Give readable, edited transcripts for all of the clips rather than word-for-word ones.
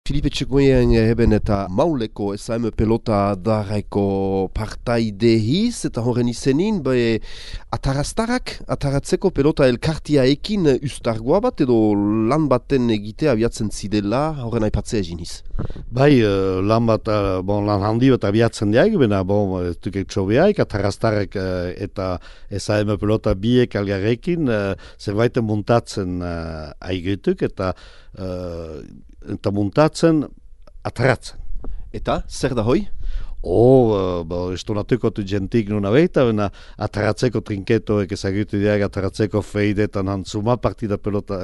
Filipe Txekoien heben eta mauleko SM pelota darraiko partaide hiz, eta horren izenin, ataratzeko pelota elkartia ekin ustargoa bat, edo lan baten egitea abiatzen zidela, horren aipatzea egin hiz. Bai, lan handi bat abiatzen diag, bena, ez dukek txobiaik, ataraztarek eta SM pelota biek algarrekin, zerbaiten muntatzen aigetuk, eta muntatzen ataratzen. Eta, zer da hoi? Estonatuko tu gentik nuna behita, bena ataratzeko trinketoek ezagutu diag ataratzeko feidetan hantzuma pelota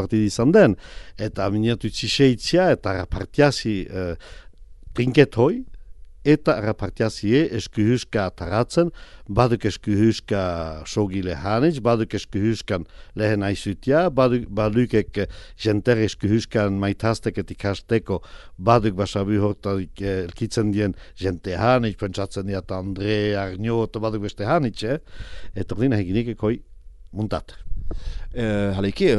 partida izan den. Eta aminatu txiseitzia eta partiazi trinket hoi, eta rapartiazie eskuhuska ataratzen, baduk eskuhuska sogile hanitz, baduk eskuhuskan lehen aizutia, badukek jenter eskuhuskan maitaztek et ikasteko, baduk basabu hortarik elkitzen dien jente hanitz, pentsatzen diat Andre, Arnio, eta baduk beste hanitz, eta berdin heginik ekoi muntat. Haleike,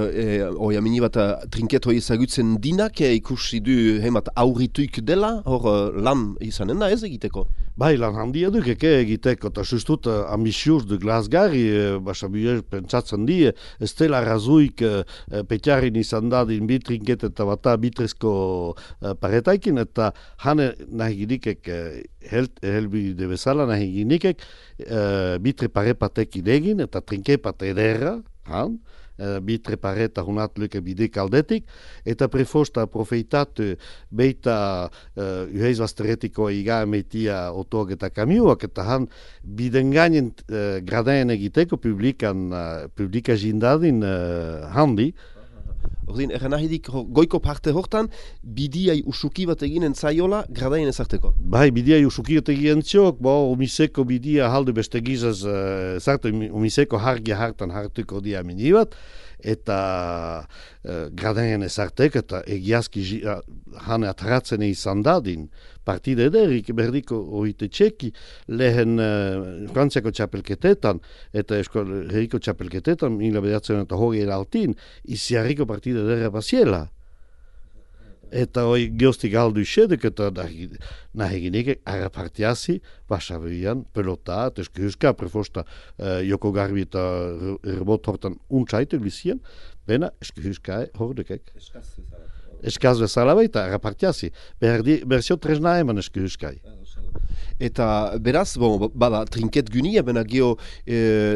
oia mini bat trinket hoi ezagutzen dinak ikusi du hemat aurrituik dela, hor lan izanen da ez egiteko? Bai, lan handia duk egiteko, eta sustut ambisiuz du glasgarri, basabuer pentsatzen di, ez dela razuik petjarin izan dadin bi trinket eta bata bitrezko paretaikin, eta hane nahi ginikek, helbide bezala nahi ginikek, bitre parepatek idegin, eta trinke pat ederra, bitre pareta hunat luke bidek aldetik, eta prefosta profeitatu beita uheiz basteretiko iga emetia otog eta kamiuak, eta han bidengainen gradaien egiteko publika jindadin handi. Ordin, erren ahidik goiko parte hortan, bidiai usuki bat eginen zaiola gradaien ezarteko? Bai, bidiai usuki bat eginen ziok, umiseko bidia halde beste gizaz, umiseko hargia hartan hartuko dia minibat, eta gradaien ezartek, eta egiazki hane ataratzen izan dadin, partide ederik, berdiko oite txeki, lehen Frantziako txapelketetan, eta herriko txapelketetan, mila bedatzen eta hori eraltin, iziarriko partide ederra basiela. Eta hoi geostik aldu isedek, eta nahi ginek arapartiazi, basabian, pelota, eta eskuhuska, prefosta Joko Garbi eta rebot hortan untsaitek bizien, bena eskuhuska hordekek. Eskaz bezala baita, arapartiazi. Berzio tresna eman eskuhuskai. Eta beraz, bada, trinket gunia, bena geho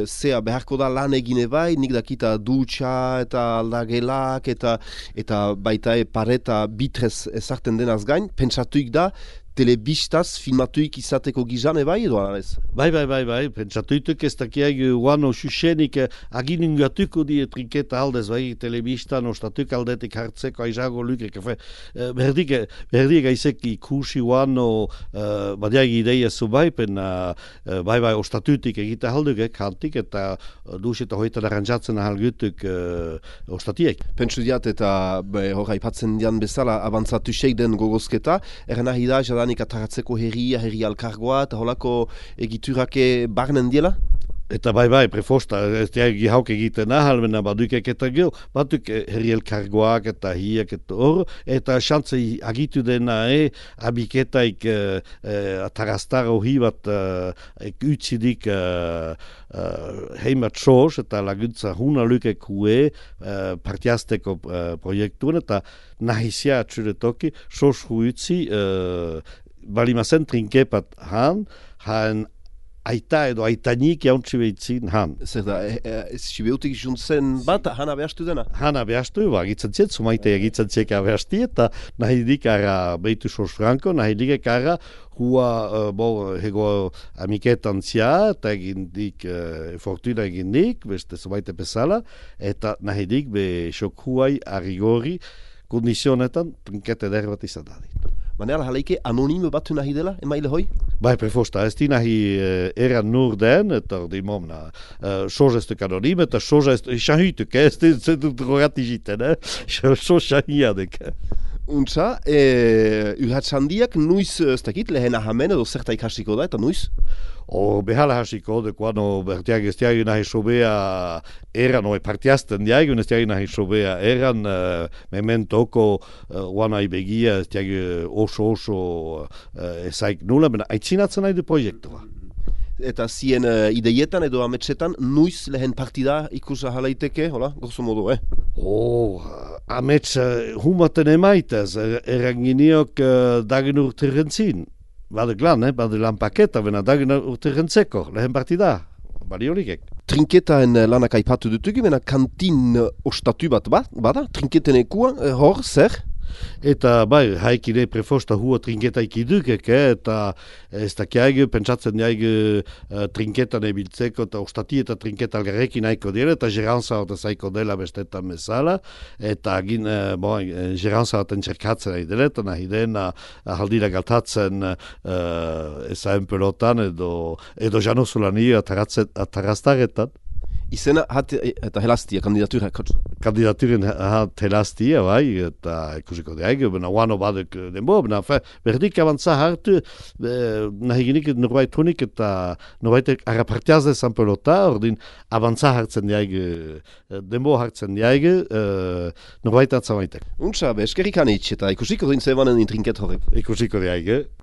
zea beharko da lan egine bai, nik dakita dutxa eta aldagelak eta baita pareta bitrez ezarten denaz gain, pentsatuik da, telebistaz filmatuik izateko gizane bai edo alaz? Bai, pentsatuituk ez dakiag guano xuxenik aginingatuko die trinketa aldez, bai, telebistan ostatuk aldetik hartzeko aizago lukek, berdik gaizek ikusi guano badiag ideia zu bai, bai, ostatutik egite haldukek hantik, eta dus eta hoita darantzatzen ahalgutuk ostatiek. Pentsu diat eta hor aipatzen dian bezala abantzatu seik den gogozketa, erren ahi da, jadanik ataratzeko herri alkargoa, eta holako egiturake barnen diela? Eta bai, prefosta, ez diagi hauk egiten ahal, bena badukek eta gil, baduk herri elkargoak eta hiak eta hor, eta xantze agitu dena abiketaik ataraztara ohi bat utzidik heimat soz, eta laguntza huna lukek hue partiazteko proiektuen, eta nahizia atxuretoki soz huitzi balimazen trinkepat han aita edo aitanik jauntzi behitzin han. Zer da, sibeutik juntzen bat, hana behastu dena? Hana behastu, agitzen ziet, sumaite agitzen ziek abehasti, eta nahi dik ara behitu sos franko, nahi dik ara hua hego amiketan zia, eta egin dik fortuna egin dik, beste sumaite bezala, eta nahi dik be sok huai arigori kondizionetan trinkete derbat izan dadin. Manela haleike anonime batu nahi dela, emaile hoi? Bai, prefosta, ez di nahi eran nur den, eta di momna, soz ez duk anonime, eta soz ez shahituk, ez dut rogati jiten, soz shahiadek. Untsa, urratz handiak nuiz, ez dakit, lehen ahamen edo zerta ikasiko da, eta nuiz? Behala hasiko, dekuano bertiak ez diagin nahi sobea eran, partiazten diagin ez diagin nahi sobea eran, mementoko guanai begia ez diagin oso ezaik nula, bena aitzinatzen nahi du proiektua. Eta zien ideietan edo ametsetan, nuiz lehen partida ikusa halaiteke, hola, grosso modo, Amets humaten emaitez, eranginiok dagin urterrentzin. Bade lan paketa, bena dagin urterrentzeko, lehen partida, bari horikek. Trinketaen lanak aipatu dutugu, bena kantin ostatu bat bada, trinketen ekua, hor, zer? Eta bai, haikide prefosta hua trinketa ikidukek, eta ez dakiaigu, pentsatzen diaigu trinketan ebiltzeko, eta ostati eta trinketa algarrekin haiko dira, eta geranza hor zaiko dela bestetan mesala, eta geranza hor txerkatzen nahi dela, eta nahi dena haldira galtatzen ezaen pelotan, edo janozulani ataraztaretan. Izena eta helastia, kandidatura, kotz? Kandidaturen helastia, bai, eta ikusiko deaik, bena guano badek denbo, bena berdik abantza hartu, nahi ginik norbait honik eta norbait harrapartiaz dezan pelota, ordin abantza hartzen deaik, denbo hartzen deaik, norbait atzamaitek. Untsa, eskerrik anitz, eta ikusiko dintze banen intrinket horrek. Ikusiko deaik,